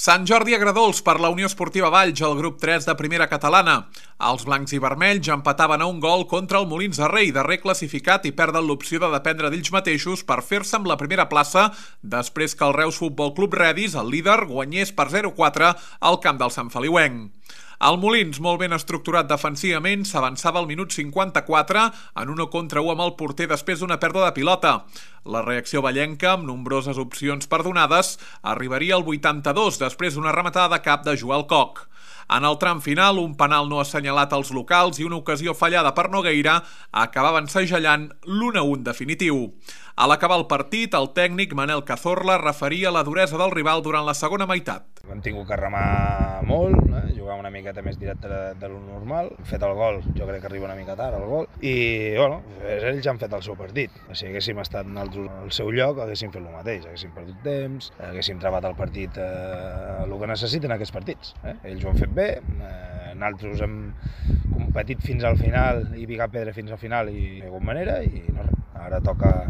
Sant Jordi Agradols per la Unió Esportiva Valls al grup 3 de primera catalana. Els blancs i vermells empataven a un gol contra el Molins de Rei, darrer classificat, i perden l'opció de dependre d'ells mateixos per fer-se amb la primera plaça després que el Reus Futbol Club Redis, el líder, guanyés per 0-4 al camp del Sant Feliuenc. El Molins, molt ben estructurat defensivament, s'avançava al minut 54 en 1-1 amb el porter després d'una pèrdua de pilota. La reacció vallenca, amb nombroses opcions perdonades, arribaria al 82 després d'una rematada de cap de Joel Koch. En el tram final, un penal no assenyalat als locals i una ocasió fallada per Nogueira acabaven segellant l'1-1 definitiu. A l'acabar el partit, el tècnic Manel Cazorla referia la duresa del rival durant la segona meitat. Hem tingut que remar molt, jugar una miqueta més directe de lo normal. Hem fet el gol, jo crec que arriba una mica tard el gol, i bueno, ells han fet el seu partit. Si haguéssim estat al seu lloc, haguéssim fet el mateix, haguéssim perdut temps, haguéssim trebat el partit el que necessiten aquests partits. Ells ho han fet bé, nosaltres hem competit fins al final i picar pedra fins al final i de alguna manera, i no, ara toca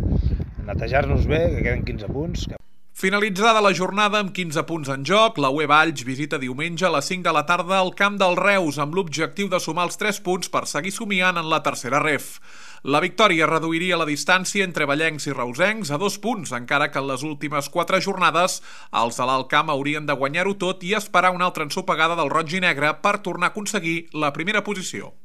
netejar-nos bé, que queden 15 punts. Finalitzada la jornada amb 15 punts en joc, la UE Valls visita diumenge a les 5 de la tarda al camp del Reus amb l'objectiu de sumar els 3 punts per seguir somiant en la tercera ref. La victòria reduiria la distància entre vallencs i reusencs a 2 punts, encara que en les últimes 4 jornades els de l'Alt Camp haurien de guanyar-ho tot i esperar una altra ensopegada del roig i negre per tornar a aconseguir la primera posició.